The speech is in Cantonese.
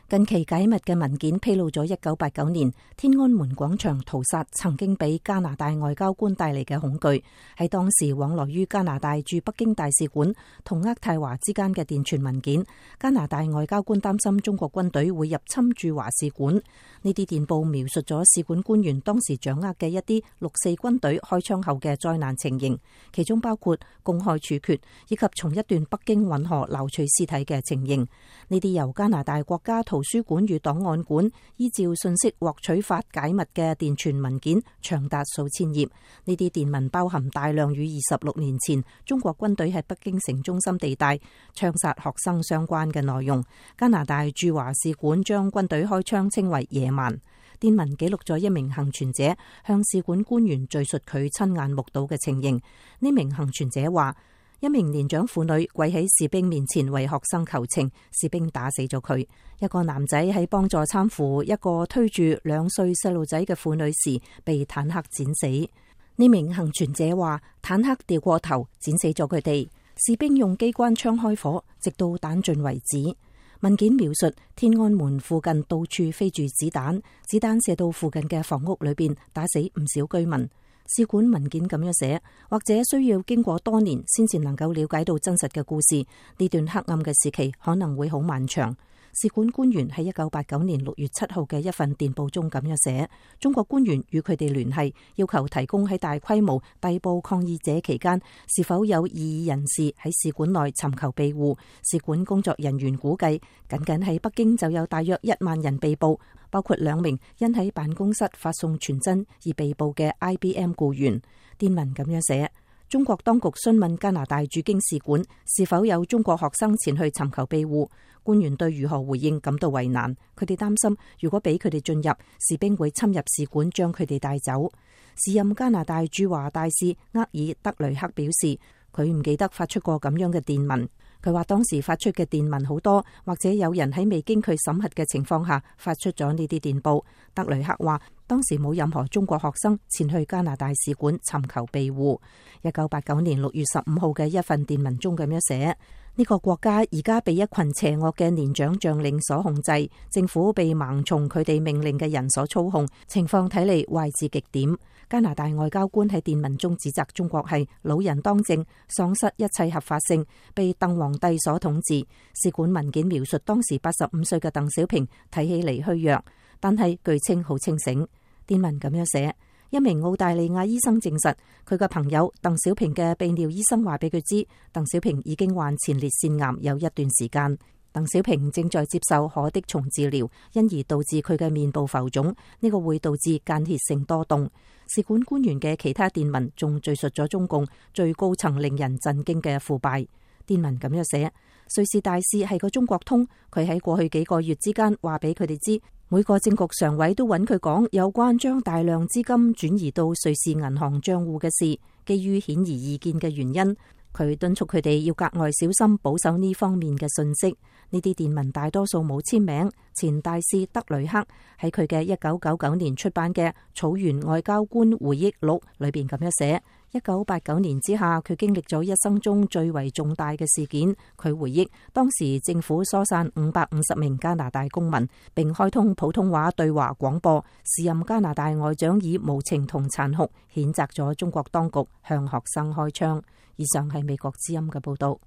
近期解密嘅文件披露咗1989年天安門廣場屠殺曾經俾加拿大外交官帶嚟嘅恐懼。喺當時往來於加拿大駐北京大使館同渥太華之間嘅電傳文件，加拿大外交官擔心中國軍隊會入侵駐華使館。呢啲電報描述咗使館官員當時掌握嘅一啲六四軍隊開槍後嘅災難情形，其中包括公開處決以及從一段北京運河撈取屍體嘅情形。呢啲由加拿大國家圖書館與檔案館依照信息獲取法解密嘅電傳文件長達數千頁。呢啲電文包含大量與26年前中國軍隊喺北京城中心地帶槍殺學生相關嘅內容。加拿大駐華使館將軍隊開槍稱為野蠻。電文記錄咗一名幸存者向使館官員敘述佢親眼目睹嘅情形。呢名幸存者話，一名年長婦女跪喺士兵面前為學生求情，士兵打死咗佢。一個男仔喺幫助攙扶一個推住2歲細路仔嘅婦女時被坦克剪死。呢名幸存者話，坦克掉過頭剪死咗佢哋，士兵用機關槍開火，直到彈盡為止。文件描述天安門附近到處飛住子彈，子彈射到附近嘅房屋裏邊，打死唔少居民。使館文件咁樣寫，或者需要經過多年先至能夠了解到真實嘅故事。呢段黑暗嘅時期可能會好漫長。使館官員喺1989年6月7號嘅一份電報中咁樣寫，中國官員與佢哋聯繫，要求提供喺大規模逮捕抗議者期間是否有異議人士喺使館內尋求庇護。使館工作人員估計，僅僅喺北京就有大約1萬人被捕，包括2名因喺辦公室發送傳真而被捕嘅 IBM 僱員。電文咁樣寫，中國當局詢問加拿大駐京使館是否有中國學生前去尋求庇護，官員對如何回應感到為難。佢哋擔心如果俾佢哋進入，士兵會侵入使館將佢哋帶走。時任加拿大駐華大使厄爾德雷克表示，佢唔記得發出過咁樣嘅電文。佢話當時發出嘅電文好多，或者有人喺未經佢審核嘅情況下發出咗呢啲電報。德雷克話當時冇任何中國學生前去加拿大使館尋求庇護。1989年6月15號嘅一份電文中咁樣寫，呢個國家而家被一群邪惡嘅年長將領所控制，政府被盲從佢哋命令嘅人所操控，情況睇嚟壞至極點。加拿大外交官喺電文中指責中國係老人當政，喪失一切合法性，被鄧皇帝所統治。使館文件描述當時85歲嘅鄧小平睇起嚟虛弱，但係據稱好清醒。電文咁樣寫，一名澳大利亞醫生證實，佢嘅朋友鄧小平嘅泌尿醫生話俾佢知，鄧小平已經患前列腺癌有一段時間。鄧小平正在接受可的蟲治療，因而導致佢嘅面部浮腫，呢個會導致間歇性多動。使館官員嘅其他電文仲敘述咗中共最高層令人震驚嘅腐敗。電文咁樣寫，瑞士大使係個中國通，佢喺過去幾個月之間話俾佢哋知，每個政局常委都揾佢講有關將大量資金轉移到瑞士銀行賬戶嘅事。基於顯而易見嘅原因，佢敦促佢哋要格外小心保守呢方面嘅信息。呢啲電文大多數冇簽名。前大使德雷克喺佢嘅1999年出版嘅《草原外交官回憶錄》裏邊咁樣寫：1989年之下，佢經歷咗一生中最為重大嘅事件。佢回憶當時政府疏散550名加拿大公民，並開通普通話對華廣播。時任加拿大外長以無情同殘酷譴責咗中國當局向學生開槍。以上係美國之音嘅報道。